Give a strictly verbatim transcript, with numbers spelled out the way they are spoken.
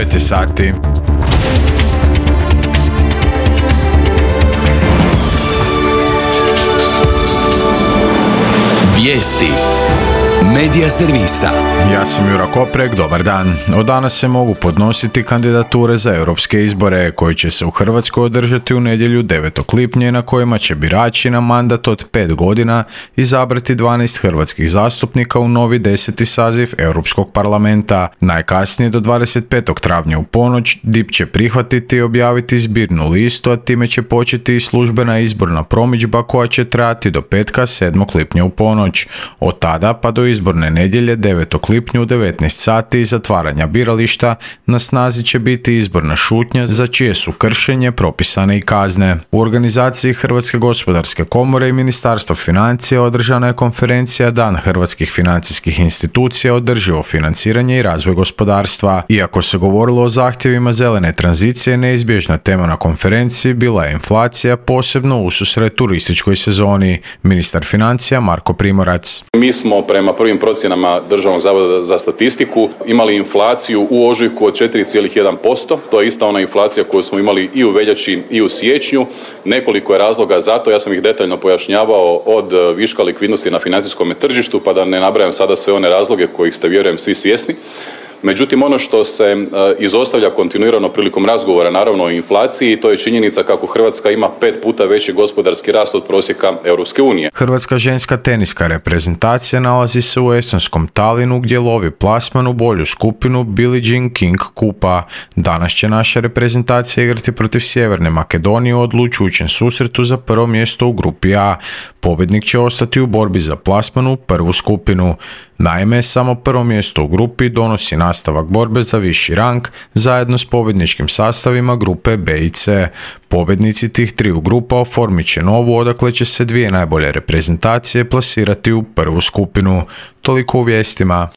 devet je sati. Vijesti Medija servisa. Ja sam Jura Koprek, dobar dan. Od danas se mogu podnositi kandidature za europske izbore koji će se u Hrvatskoj održati u nedjelju devetog lipnja na kojima će birači na mandat od pet godina izabrati dvanaest hrvatskih zastupnika u novi deseti saziv Europskog parlamenta. Najkasnije do dvadeset petog travnja u ponoć D I P će prihvatiti i objaviti zbirnu listu, a time će početi i službena izborna promidžba koja će trajati do petka sedmog lipnja u ponoć. Od tada pa do izborne nedjelje devetog lipnja u devetnaest sati i zatvaranja birališta na snazi će biti izborna šutnja za čije su kršenje propisane i kazne. U organizaciji Hrvatske gospodarske komore i Ministarstva financija održana je konferencija Dan hrvatskih financijskih institucija, održivo financiranje i razvoj gospodarstva. Iako se govorilo o zahtjevima zelene tranzicije, neizbježna tema na konferenciji bila je inflacija, posebno ususret turističkoj sezoni. Ministar financija Marko Primorac. Mi smo prema prvim procjenama Državnog zavoda za statistiku imali inflaciju u ožujku od četiri zarez jedan posto. To je ista ona inflacija koju smo imali i u veljači i u siječnju. Nekoliko je razloga za to, ja sam ih detaljno pojašnjavao, od viška likvidnosti na financijskom tržištu, pa da ne nabrajam sada sve one razloge kojih ste, vjerujem, svi svjesni. Međutim, ono što se izostavlja kontinuirano prilikom razgovora, naravno o inflaciji, to je činjenica kako Hrvatska ima pet puta veći gospodarski rast od prosjeka Europske unije. Hrvatska ženska teniska reprezentacija nalazi se u estonskom Talinu gdje lovi plasman u bolju skupinu Billie Jean King kupa. Danas će naša reprezentacija igrati protiv Sjeverne Makedonije u odlučujućem susretu za prvo mjesto u grupi A. Pobjednik će ostati u borbi za plasman u prvu skupinu. Naime, samo prvo mjesto u grupi donosi nastavak borbe za viši rang zajedno s pobjedničkim sastavima grupe B i C. Pobjednici tih triju grupa oformit će novu, odakle će se dvije najbolje reprezentacije plasirati u prvu skupinu. Toliko u vijestima.